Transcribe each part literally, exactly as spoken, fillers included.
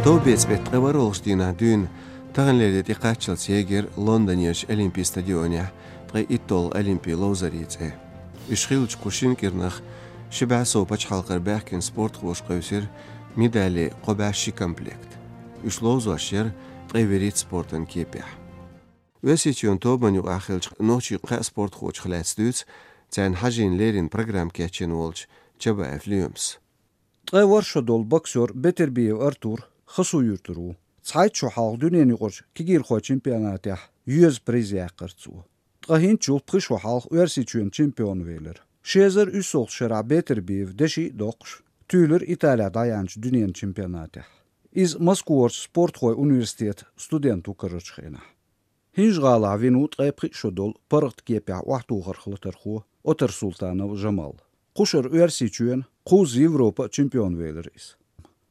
Товбеца бетта ткъе ворхӀалгӀачу дийнахь дуьйна таханлера де тӀекхаччалц егира Лондонерчу Олимпийн стадионехь ткъе итталгӀа Олимпийн ловзарийн цӀе. Уьш хиллачу кху шина кӀирнах ши бӀе сов пачхьалкхара баьхкина спортхоша кхевсира медалийн кхо бӀе ши комплект. Уьш ловзош яра ткъе вуьрхӀитта спортан кепехь. Оьрсийчоьнан тобанна юкъахь хиллачу нохчийн кхаа спортхочух лаьцна дуьйцу царна хьажийна леррина программа кечйина волчу Чабаев Лоьмас. Ткъе ворхӀ шо долу боксер Бетербиев Артур Хасуюртара ву. Цхьайтта шо хьалха дуьненаюкъарчу кегийрхойн чемпионатехь йоьзна приз яьккхира цо. Ткъа хӀинцачул пхи шо хьалха Оьрсийчоьнан чемпион велира. Ши эзар уьссалгӀачу шарахь Бетербиев деши а доккхуш, туьйлира Италехь дӀаяьхьначу дуьненан чемпионатехь. Иза Москварчу спортхойн университетан студент ву карарчу хенахь. ХӀинжа-ГӀалахь вина ву ткъе пхи шо долу паргӀат кепехь охьатохарх латархо Отарсултанов Жамал. Кхушара Оьрсийчоьнан, кхузза Европан чемпион велира иза.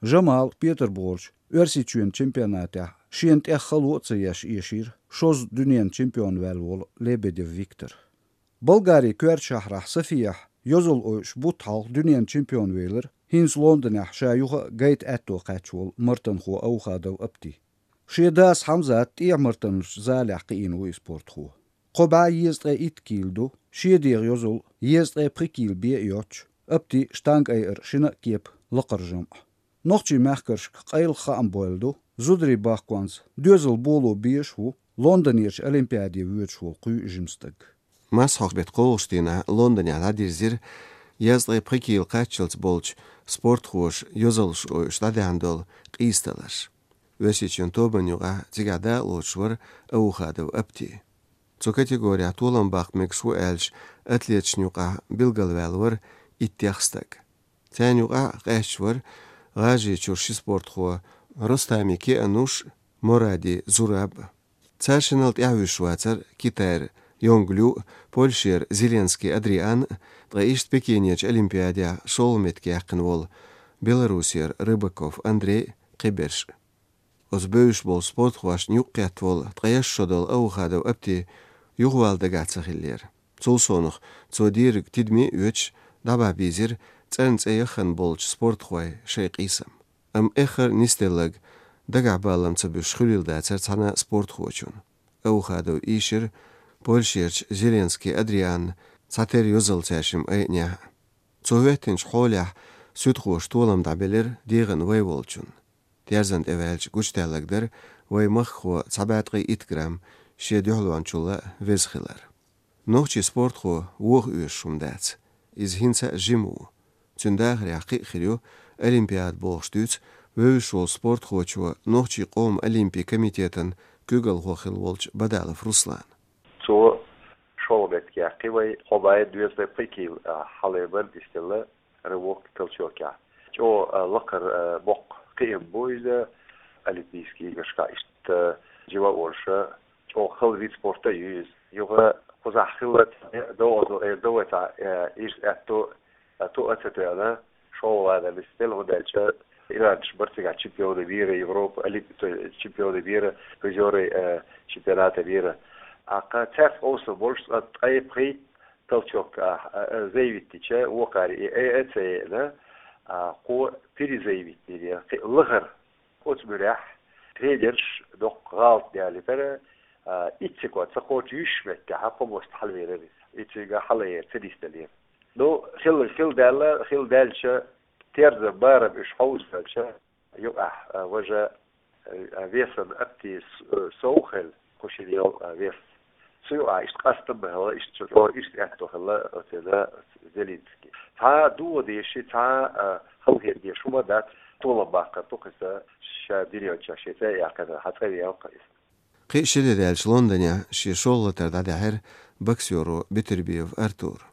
Жамала Петарбугерчу Оьрсийчоьнан чемпионатехь шена тӀех хало а ца еш эшийра шозза дуьненан чемпион ваьлла волу Лебедев Виктор. Болгарин коьртачу шахьарахь Софияхь йозалла ойуш бутт хьалха дуьненан чемпион велира хӀинца Лондонехь ша юха а гайта аьтто кхаьчна волу мартанхо Аухадов Апти. Шен дас Хьамзат тӀехьа мартанлучу залехь кхиийна ву и спортхо. Кхо бӀе езткъе итт кийла ду, шен дегӀан йозалла езткъе пхи кийла бен а йоццуш, Апти штанга айар шина а кепа лакхара жамӀ. Нохчийн мехкаршка къайлаха хаам бойла ду, зударийн бахконца доьзал боло безаш а ву, Лондонерчу Олимпиаде воьдуш волу кху жима стаг. Масхьокх бетта кхоалгӀачу дийнахь Лондонехь дӀадирзира езткъе пхи кийла кхаччалц болчу спортхоша йозаллаш ойуш дӀадаьхьна долу къийсадаларш. Оьрсийчоьнан тобанна юкъахь цигахь дакъалоцуш вара Аухадов Апти. Цу категорехь толам баккха мегаш ву аьлча, атлеташна юкъахь билгалваьлла вара иттех стаг. Царна юкъахь а къаьсташ вара ГӀажарийчуьра ши спортхо Ростами Кеануш а, Моради Зураб а. Царшинал тӀаьхьа вуьсуш вацара Китайра Йонг Лю а, Польшера Зеленский Адриан а, ткъа иштта Пекинерчу Олимпиадехь шолгӀа меттиг яьккхина волу Беларусера Рыбаков Андрей а, кхиберш а. Оцу бевзаш болу спортхошна юкъакхетта волу ткъе исс шо долу Аухадов Апти юхавала дагахь ца хиллера. Цул совнаха, цо дийриг тидаме а оьцуш, дӀабахьа бийзира цӀарна цӀе яххана болчу спортхойн шайн къийсам. Амма эххар а нисделларг дагахь баллам ца буьсуш хуьлийла дацара цхьана а спортхочунна. Аухадов ийшира Польшерчу Зеленский Адрианна цхьатерра йозалла цаьршимма айинехь а. Цо хӀоьттинчу хьолехь суьдхоша толам дӀабелира дегӀан вай волчунна. Терзан тӀе ваьлча гучудаьлларг дара вай махкахо цхьа бӀе ткъе итт грамм шен дуьхьалончул а веза хилар. Нохчийн спортхо вохаоьшуш хӀума дац. Иза хӀинца а жима ву. Цуьнан дахарехь кхиъ хир ю, Олимпиада бохуш дуьйцу вевзаш волу спортхочо нохчийн къоман олимпийн комитетан куьйгалхо хилла волчу Бадалов Руслана. Цо шолгӀа меттиг яьккхи вай, кхо бӀе дезткъе пхи кийла, а, хьалха бара дистелла рывок толчокехь. ЧӀогӀа, а, лакхара, а, боккха кхиам бу иза, Олимпийский играшкахь иштта жима а волуш, чӀогӀа хала вид спорта а ю иза. Юха кхузахь хилла ца довзо эр доваца, э, иза аьтто, а, ту а ца тоьна, шолгӀа вадар нисделла, хӀунда аьлча иранцаш бара цигахь чемпионы мира, Европы, Олимп-, то есть чемпионы мира, призёры, э, чемпионата мира. ТӀаккха цаьрца къовсам болуш, ткъе пхийтта толчок, а, а, а, заявить дича, вокхара и, э, э, ца яьна, а, кхо перезаявить дира, кхин лахара. Оцу муьрехь тренерш доккха гӀалат даьллитара, а, итт секунд ца кхочу йиш меттехь, помост хьалавелира. И цига хьалаера, ца дистеллера. Ну, хила, хила даьлла, хила даьлча, терза барам уьш хьовзавелча, юкъахь, а, важа, а, весан Апти с-, э, сов хила, кху шина йолу, а, вес. Цу юкъахь иштта къастам а хила, иштта чу чӀогӀа иштта аьтто хила, оцена Зелинский. Цхьа а догӀа деши, цхьа а, а, халахета деши хӀума дац, толам баккхар ду-кх иза, ша динечохь шен цӀе а яьккхина, хьан цӀа веа-кх иза. Кхин а ши де даьлча Лондонехь шен шолгӀа латар дӀадаьхьира боксеро Бетербиев Артура.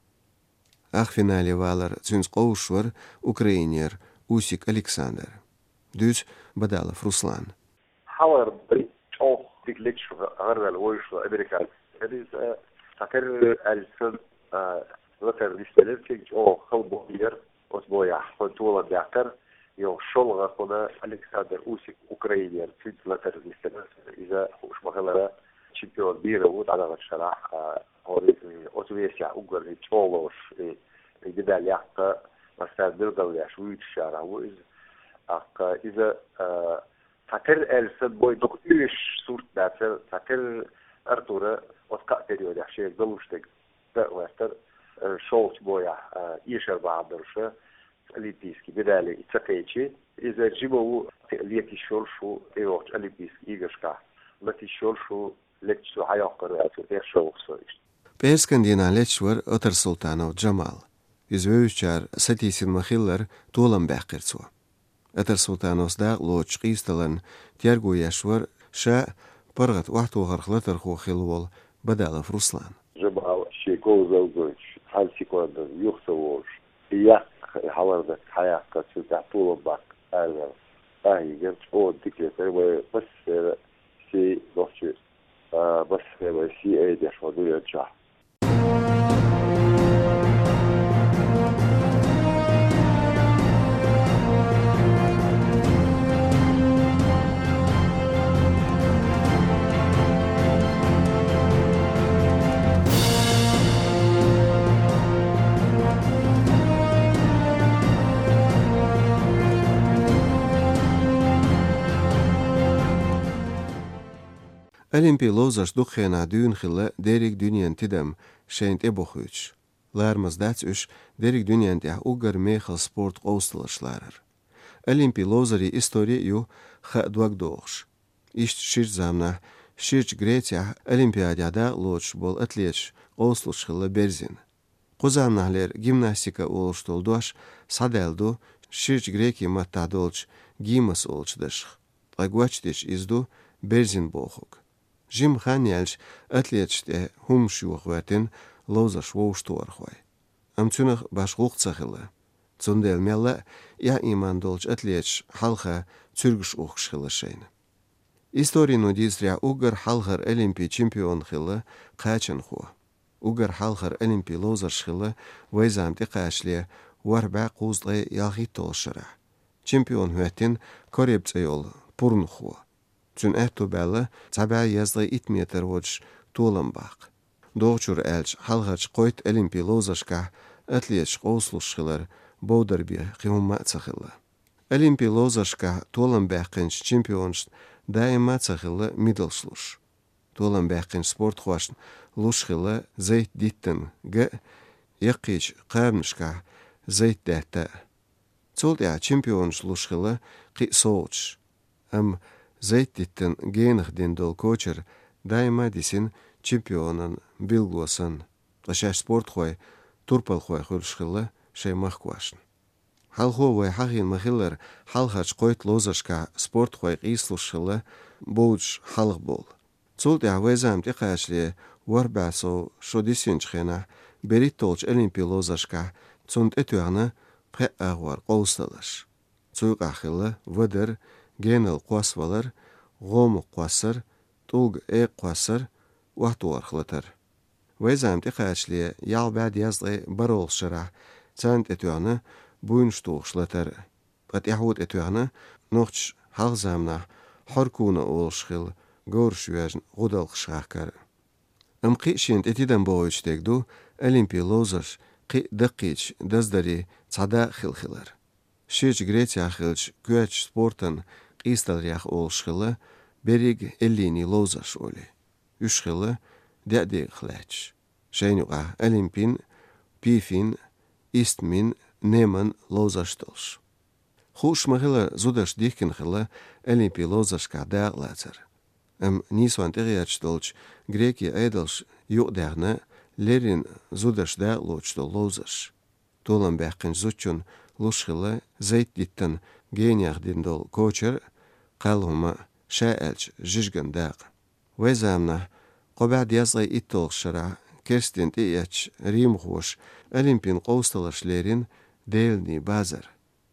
Ах финале валар цуьнца къовсуш вара Украинера Усик Александр. Дуьйцу Бадалов Руслана. Хьалхара бай чӀогӀа дика легаш гӀарваьлла вовзаш вара американец. Иза, цхьатерра аьлча, а, латар нисделира, цига чӀогӀа хала бой яра, оцу боехь хӀун толам баьккхира. Йо, шолгӀа хӀуна Александр Усик Украинера, цуьнца латар нисделира. Иза хууш ма-хиллара, чемпион мира ву дӀадаханчу шарахь, а, хӀора, э, оцу весехь уггар чӀогӀа ловш, э, э, медаль яккха, массарна билгалвеш вуьйцучарах ву иза. ТӀаккха иза, а, Цхьа кхерра аьлча, са бой дукха уьш сурт баьцар, цхьа кхерра Артура оцу кхаа периодехь шега долуш дерг дан а гӀоьртара, э, шолгӀачу боехь, э, эшар бахьана долуша олимпийский медале и ца кхечи, иза жима ву, летийш йолуш ву тӀейогӀучу олимпийский играшкахь, латийш йолуш ву, летча цо хьайоккхур ваьлла цо тӀе шолгӀа со иштта. ПӀераскан дийнахь леташ вара Атарсултанов Джамал. Иза вевзачара сатийсина ма-хиллара, толам баьккхира цо. Атарсултановс дакъа лоцучу къийсадаларна терго еш вара ша паргӀат охьатохарх латархо хилла волу Бадалов Руслан. Джамал шен говзалла гойтуш, цхьана секунда юха ца волуш, и яккха, и хьалхара дакка хьаяккха, цуьнан тӀехь толам баккха араваьлла. АхӀа, йигара чӀогӀа дика летара, вай массеран сий нохчий, а, массеран вай сий айдеш ван дуьнен чохь. Олимпийн ловзарш дукха хенахь дуьйна хилла дерриг дуьненан тидам шайна тӀе бохуьйтуш. Ларамаза дац уьш дерриг дуьнен тӀехь уггар мехала спорт къовсаларш ларар. Олимпийн ловзарийн истори а ю хаа дог дохуш. Иштта ширачу заманахь, ширачу Грецехь Олимпиадехь дакъа лоцуш болу атлеташ къовсалуш хилла берзина. Кху заманахьлера гимнастика олуш долу дош схьадаьлла ду ширачу греки маттахь долчу гимос олучу дашах, ткъа гочдеш иза ду берзина бохург. Жимма хан яьлча, атлеташ тӀе хӀуманаш йохавоьттина ловзарш вовшахтохархой. Амма цуьнах баш гӀуллакх ца хилла. Цундела мелла а эхь-ийман долчу атлеташ хьалха цуьргаш ухкуш хилла шайна. Историно дийцарехь, уггар хьалхара олимпийн чемпион хилла кхачанхо. Уггар хьалхара олимпийн ловзарш хилла вайн зама тӀекхачале ворхӀ бӀе кхузткъе ялхитталгӀачу шарахь. Чемпион хӀоьттина Кореб цӀе йолу пурнахо. Цуьнан аьтто баьлла цхьа бӀе езткъе итт метр водуш толам баккха. ДогӀучуьра аьлча, хьалхарчу кхойтта олимпийн ловзаршкахь атлеташ къовсалуш хилар бовдар бен кхин хӀумма а ца хилла. Олимпийн ловзаршкахь толам баьккхинчу чемпионашна даима а ца хилла медалш луш. Толам баьккхинчу спортхошна луш хилла зайт диттан га а, яккхийчу кхабанашкахь зайт даьтта а. Цул тӀаьхьа чемпионашна луш хилла кхин а совгӀаташ. Амма зайт диттан генах дина долу кочар даима а дисина чемпионан билгало санна, ткъа шаьш спортхой турпалхой хуьлуш хилла шайн махкошна. Хьалхо вай хьахийна ма-хиллара, хьалхарчу кхойтта ловзаршкахь спортхой къийсалуш хилла бовдуш хьалха болу. Цул тӀаьхьа вайн зама тӀекхачале ворхӀ бӀе сов шо дисинчу хенахь, берхӀитталгӀачу олимпийн ловзаршкахь цунна тӀетоьхна пхеа агӀор къовсаларш. Цу юкъахь хилла вадар, генал кхоссавалар, гӀомах кхоссар, тӀулга экъа кхоссар, охьатохарх латар. Вайн зама тӀекхачале ялх бӀе дезткъе бархӀалгӀачу шарахь царна тӀетоьхна буйнаш тухуш латар, ткъа тӀаьхьо тӀетоьхна нохчаша хьалха заманахь хьоркуна олуш хилла говраш йоьжна гӀудалкхаш хахкар. Амма кхин а шена тӀе тидам бохуьйтуш дерг ду олимпийн ловзарш кхин а даккхийчу даздарийн цхьа дакъа хилла хилар. Ширачу Грецехь хиллачу коьртачу спортан къийсадаларех олуш хилла берриг эллинийн ловзарш олий. Уьш хилла деа дегӀах лаьтташ. Шайна юкъахь олимпийн, пифин, истмин, неман ловзарш долуш. Хууш ма-хиллара, зударш дихкина хилла олимпийн ловзаршкахь дакъа лацар. Амма нийсонна тӀегӀерташ долчу грекийн Ӏедалша юкъадаьхна леррина зударш дакъа лоцуш долу ловзарш. Толам баьккхинчу зудчунна луш хилла зайт диттан генех дина долу кочар а, кхалхӀума а, ша аьлча, жижиган дакъа. Вайн заманахь, кхо бӀе дезткъе итталгӀачу шарахь керстан тӀеэцначу римхоша олимпийн къовсаларш лерина деланийн базар.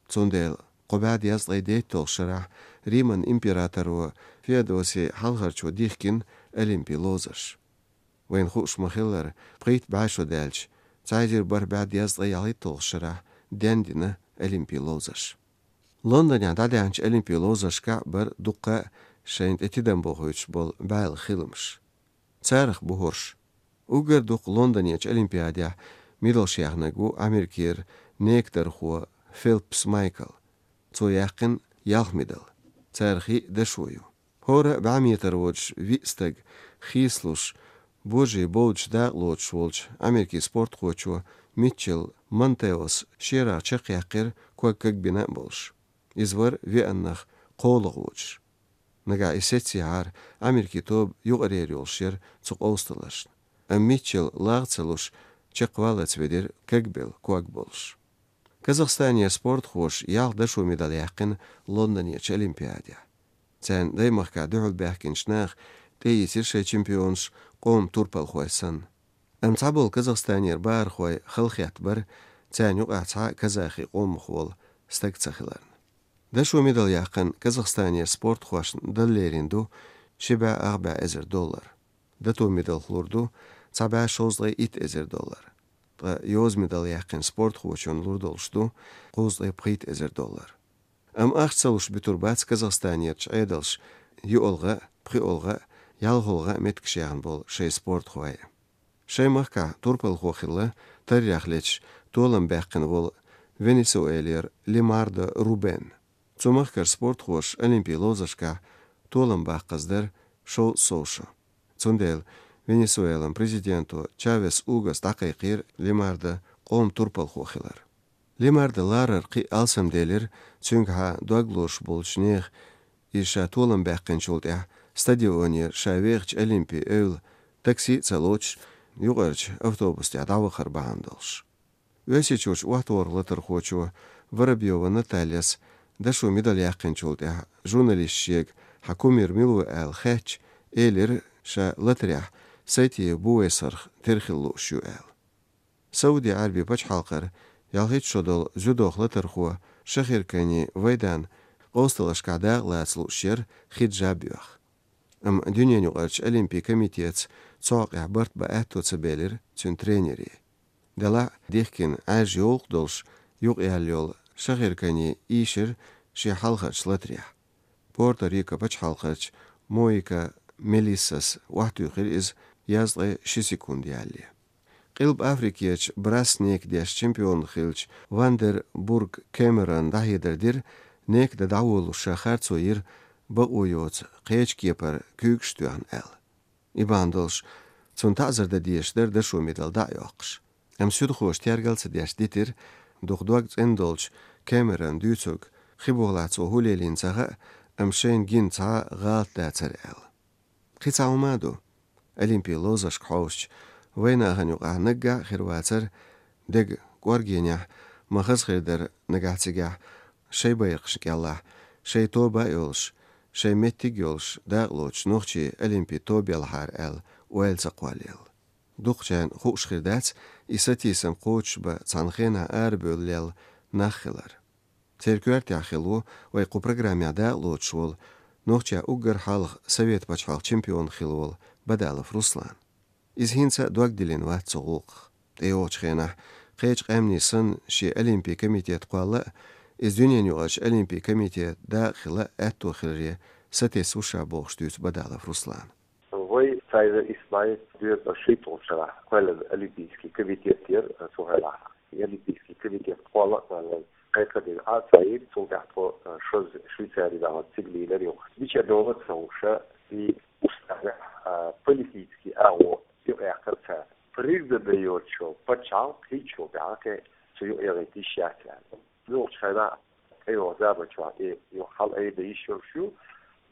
Цундела кхо бӀе дезткъе дейтталгӀачу шарахь Риман императоро Феодосий Хьалхарчо дихкина олимпийн ловзарш. Вайна хууш ма-хиллара, пхийтта бӀе шо даьлча, цхьа эзар бархӀ бӀе дезткъе ялхитталгӀачу шарахь денна дина олимпийн ловзарш. Лондонехь дӀадаьхначу олимпийн ловзаршкахь а бара дуккха а шайна тӀе тидам бохуьйтуш болу бӀаьла хиламаш. Царах бу хӀорш. Уггар дукха Лондонерчу олимпиадехь медалш яьхнарг ву Америкера некадархо Фелпс Майкл. Цо яьккхина ялх медаль. царах йиъ дошо ю. ХӀора а бӀаь метр воцуш виъ стаг хийцалуш, божий бовдаш дакъа лоцуш волчу Америкин спортхочо Митчелл Монтеос шерагӀа чекхъяьккхира, ког кагбина а болуш. Иза вара веаннах кхоалгӀа воцуш. Нагахь и сеццехьара Америкин тоба юкъарера йолуш яра цу къовсталаршна. Амма Митчелл лагӀ ца луш, чекхваллалц ведира, кагбелла ког болуш. Казахстанера спортхоша ялх дошо медаль яьккхина Лондонерчу Олимпиадехь. Царна даймахкахь дуьхьал баьхкинчу наха тӀеийцира шайн чемпионаш, къоман турпалхой санна. Амма цхьаболу Казахстанера бахархой халахетта бара царна юкъахь цхьа а казахи къомах волу стаг ца хиларна. Дошо медаль яьккхина Казахстанера спортхошна дала лерина ду ши бӀе ах бӀе эзар доллар. Дато медалх лур ду цхьа бӀе шовзткъе итт эзар доллар. Ткъа йоза медаль яьккхина спортхочунна лур долуш ду кхузткъе пхийтта эзар доллар. Амма ахча ца луш буьтур бац Казахстанерчу Ӏедалша йоьалгӀа а, пхоьалгӀа а, ялхолгӀа а меттигаш яьхна болу шайн спортхой. Шайн махкахь турпалхо хилла, таррех леташ толам баьккхина волу Венесуэлера Лемардо Рубен. Цу махкара спортхоша олимпийн ловзаршкахь толам баккхаза дара шовзткъа сов шо. Цундела Венесуэлан президенто Чавес Угос дӀакхайкхийра Лемардо къоман турпалхо хилар. Лемардо ларар кхин а алсамделира, цуьнгахьа дог лозуш болчу нехан, иза ша толам баьккхинчул тӀаьхьа стадионера ша вехачу олимпийн эвла такси а ца лоцуш, юкъарчу автобус тӀехь дӀавахар бахьана долуш. Оьрсийчуьрчу охьатохархо-латархочо Воробьёва Натальяс дошо медаль яьккхинчул тӀаьхьа журналисташа шега, хьан кумир мила ву аьлла хаьттича, элира, ша латарехь Сайтиев Бувайсарх тера хила лууш ю аьлла. Сауди Ӏаьрбийн пачхьалкхара ялхитта шо долу дзюдох латархо Шахиркани Вайдан къовсталашкахь дакъа лаца лууш яра хиджаб йоьхна. Амма дуьненаюкъарчу олимпийн комитетаца цу хьокъехь барт бан аьтто ца белира цуьнан тренере. Делахь а дихкина Ӏаьржа йовлакх долуш юкъаяьлла йолу Шахиркани ийшира шен хьалхарчу латарехь. Порто-Рико пачхьалкхарчу Моика Мелиссас охьатуьйхира иза язткъе ши секунда ялале. Къилба Африкерчу брас нека деш чемпион хиллачу Вандербург Кэмерона дӀахьедар дира, нека дан дӀаволалуш ша харцо йира, бакъо йоцу кхечу кепара куьйгаш а тоьхна аьлла. И бахьана долуш, цунна таӀзар дан дезаш дара дошо медаль дӀа а йоккхуш. Амма суьдхоша тергал ца деш дитира, дукха дог цӀена долчу Кэмерона дуьйцург, хи бухалахь цо хӀун лелийна ца хаьа, амма шайна гина цхьа а гӀалат дацара аьлла. Кхин цхьа хӀума а ду. Олимпийн ловзаршка хьовсучу вайнахана юкъахь наггахь а хир вацара, дега кӀоргенехь ма хаза хир дара нагахь цигахь шайн байракхашна кӀелахь, шайн тоба а йолуш, шайн меттиг а йолуш дакъа лоцуш нохчийн олимпийн тоба елахьара аьлла, ойла ца кхоллаелла. Дукхачарна хууш хир дац, и сатийсам кхочушбан цхьана хенахь арабевлла лелла нах хилар. Церан коьртехь хилла ву вайн кху программехь дакъа лоцуш волу, нохчех уггар хьалха Совет пачхьалкхан чемпион хилла волу Бадалов Руслан. Иза хӀинца а дог диллина вац цу гӀуллакхах. ТӀейогӀучу хенахь, кхечу къаьмнийн санна, шен олимпийн комитет кхолла а, иза дуьненаюкъарчу олимпийн комитетан дакъа хила аьтто хиларе сатесна ву ша бохуш дуьйцу Бадалов Руслана. Вай цхьа иза исбай доьзал шийтталгӀачу шарахь кхоьллина олимпийский комитет яра, цу хенахь. И олимпийский комитет кхолла а кхоьллина, кхайкхадина а ца йира, цул тӀаьхьа тхо, а, шозза Швейцари дахьалц цига лийлира юха. Бича дола ца хууша, и устагӀа, а, политический агӀо юкъаяккхира цара. Признанный йоцучу пачхьалкх кхечу баьхьа кхе цу юкъа яхийта йиш яц аьлла. Юхачу хенахь тӀейогӀу забар чохь и юха хьала айда йиш йолуш ю.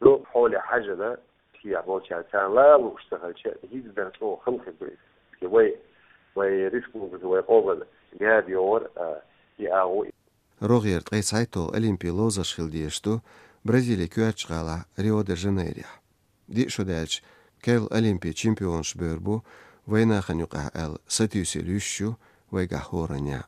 Догу хьоле хьаьжжина, кхин болчара царна лалуш ца хилча, хӀинца дан чӀогӀа хала хир ду иза. Вай, вай республикаца, вай къоман гада йогӀура, а, и агӀо. РогӀера ткъе цхьайтталгӀа олимпийн ловзарш хила дезаш ду Бразилин коьртачу гӀалахь Рио-де-Жанейрехь. Диъ шо даьлча, керла олимпийн чемпионаш бевр бу вайнахана юкъахь аьлла сатуьйсийла йиш ю вайгахь хӀоранна а.